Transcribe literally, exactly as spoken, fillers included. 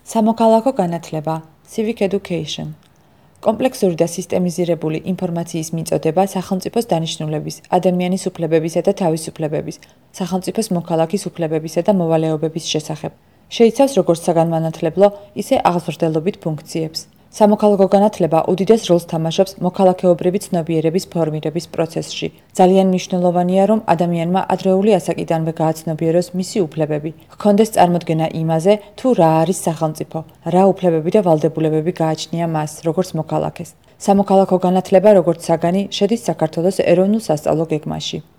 სამოქალაქო განათლება civic education კომპლექსური და სისტემიზირებული ინფორმაციის მიწოდება სახელმწიფოს დანიშნულების, ადამიანის უფლებებისა და თავისუფლებების, სახელმწიფოს მოქალაქის უფლებებისა და მოვალეობების შესახებ. შეიცავს როგორც საგანმანათლებლო, ისე აღზრდელობით ფუნქციებს. სამოქალაქო განათლება უდიდეს როლს თამაშობს მოქალაქეობრივი ცნობიერების ფორმირების პროცესში. ძალიან მნიშვნელოვანია, რომ ადამიანმა ადრეული ასაკიდანვე გააცნობიეროს მისი უფლებები, ჰქონდეს წარმოდგენა იმაზე, თუ რა არის სახელმწიფო, რა უფლებები და ვალდებულებები გააჩნია მას, როგორც მოქალაქეს. სამოქალაქო განათლება, როგორც საგანი, შედის საქართველოს ეროვნულ სასწავლო გეგმაში.